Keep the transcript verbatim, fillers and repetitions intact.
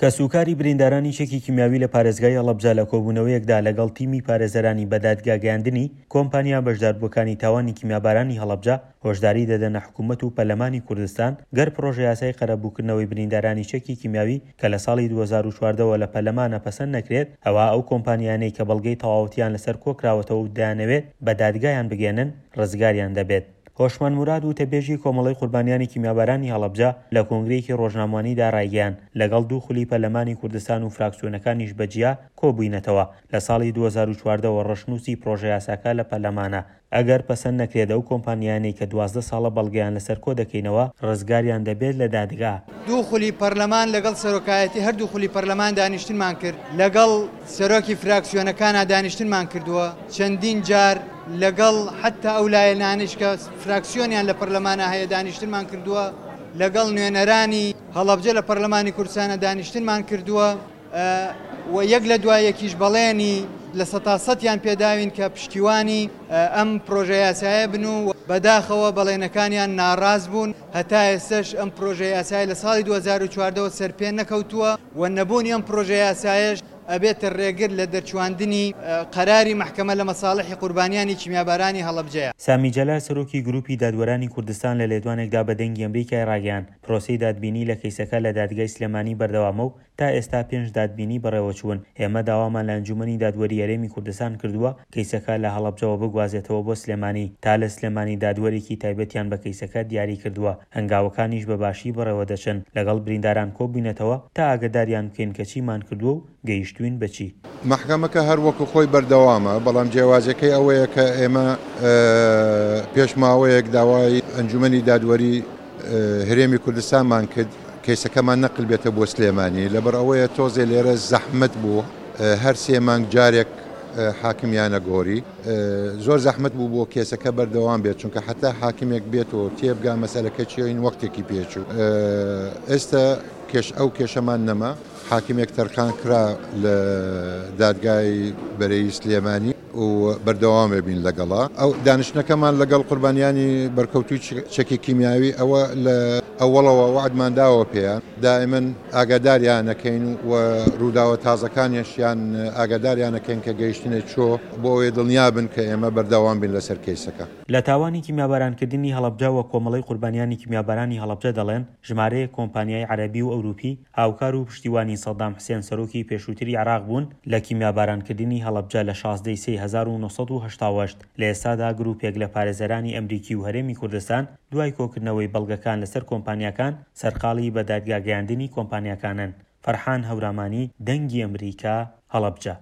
کەسوکاری بریندارانی چەکی کیمیاوی لە پارێزگای هەڵەبجە لە کۆبوونەوەیەکدا لەگەڵ تیمی پارێزەرانی بەدادگاگەیاندنی کۆمپانیا بەشداربووەکانی تاوانی کیمیابارانی هەڵەبجە هۆشداری دەدەنە حکوومەت و پەرلەمانی کوردستان گەر پڕۆژەیاسای قەرەبووکردنەوەی بریندارانی چەکی کیمیاوی کە لە ساڵی دوو هەزار و چواردە وە لە پەرلەمانە پەسەند نەکرێت ئەوا ئەو کۆمپانیانەی کە بەڵگەی تەواوەتیان لەسەر کۆکراوەتەوە و دەیانەوێت بە دادگایان بگەیەنن ڕزگاریان دەبێت. هۆشمەند موراد وتەبێژی کۆمەڵەی قوربانیانی کیمیابارانی هەڵەبجە لە کۆنگرەیەکی ڕۆژنامەوانیدا ڕایگەیاند، لەگەڵ دوو خولی پەرلەمانی کوردستان و فراکسیۆنەکانیش بە جیا کۆبووینەتەوە، لە ساڵی دوو هەزار و چواردە وە ڕەشنووسی پڕۆژەیاساکە لە پەرلەمانە، ئەگەر پەسەند نەکرێت ئەو کۆمپانیایانەی کە دوازدە ساڵە بەڵگەیان لەسەر کۆدەکەینەوە ڕزگاریان دەبێت لە دادگا. دوو خولی پەرلەمان لەگەڵ سەرۆکایەتی هەردوو خولی پەرلەمان دانیشتنمان کرد، لەگەڵ سەرۆکی فراکسیۆنەکانا دانیشتنمان کردووە، چەندین جار لەگەڵ حەتا ئەو لایەنانەیش کە فراکسیۆنیان لە پەرلەمانا هەیە دانیشتنمان کردووە، لەگەڵ نوێنەرانی هەڵەبجە لە پەرلەمانی کوردستانا دانیشتنمان کردووە و یەک لە دوای یەکیش بەڵێنی لە سەتا سەتیان پێداوین کە پشتیوانی ئەم پرۆژە یاسایە بن و بەداخەوە بەڵێنەکانیان ناڕاست بوون، هەتا ئێستەش ئەم پرۆژە یاسایە لە ساڵی دوو هەزار و چواردە وە سەرپێ نەکەوتووە و نەبوونی ئەم پرۆژە یاسایەش ئەبێتە ڕێگر لە دەرچواندنی قەراری مەحکەمە لە مەساڵحی قوربانیانی کیمیابارانی هەڵەبجەیە. سامی جەلال سەرۆکی گروپی دادوەرانی کوردستان لە لێدوانێکدا بە دەنگی ئەمریکای ڕاگەیاند پرۆسەی دادبینی لە کەیسەکە لە دادگای سلێمانی بەردەوامە و تا ئێستا پێنج دادبینی بەڕێوەچوون، ئێمە داوامان لە ئەنجومەنی دادوەری هەرێمی کوردستان کردووە کەیسەکە لە هەڵەبجەوە بگوازێتەوە بۆ سلێمانی تا لە سلێمانی دادوەرێکی تایبەتیان بە کەیسەکە دیاری کردووە، هەنگاوەکانیش بە باشی بەڕێوەدەچن، لەگەڵ برینداران کۆبووینەتەوە تا ئاگەداریان بکەین کە چیمان کردووە و گەیشتووین بە چی. مەحکەمەکە هەر وەکو خۆی بەردەوامە، بەڵام جیاوازیەکەی ئەوەیە کە ئێمە پێش ماوەیەک داوای ئەنجومەنی دادوەری هەرێمی کوردستانمان کرد کەیسەکەمان نەقل بێتە بۆ سلێمانی، لەبەر ئەوەیە تۆزێ لێرە زەحمەت بوو، هەر سێ مانگ جارێک حاکمیانە گۆری، زۆر زەحمەت بوو بۆ کێسەکە بەردەوام بێت، چونکە حتا حاکمێک بێت و تێبگا مەسەلەکە چیە وەختێکی پێچوو. ئێستا کێش ئەو کێشەمان نەما، حاکمێک تەرخان کرا لە دادگای بەرەی سلێمانی و بەردەوام بین لەگەڵا. ئەو دانیشتنەکەمان لەگەڵ قوربانیانی بەرکەوتوی چەکی کیمیاوی ئەوە لە ئەوەڵەوە وعدمان داوە پێیان، دائما ئاگاداریانەکەین و ڕووداوە تازەکانیشیان ئاگاداریانەکەین کە گەیشتنە چۆ بۆ ئەوەی دڵنیا بن کە ئێمە بەردەوام بین لەسەر کەیسەکە. لە تاوانی کیمیابارانکردنی هەڵەبجە وە کۆمەڵەی قوربانیانی کیمیابارانی هەڵەبجە دەڵێن ژمارەیەک کۆمپانیای عەرەبی و ئەوروپی هاوکار و پشتیوانی سەدام حسێن سەرۆکی پێشووتری عێراق بوون لە کیمیابارانکردنی هەڵەبجە لە شازدە ی سێی هەزار و نۆ سەد و هەشتا و هەشت. لە ئێستادا گروپێک لە پارێزەرانی ئەمریکی و هەرێمی کوردستان دوای کۆکردنەوەی بەڵگەکان لەسەر کۆمپانیاکان سەرقاڵی بە دادگاگەیاندنی کۆمپانیاکانن. فەرحان هەورامانی، دەنگی ئەمریکا، هەڵەبجە.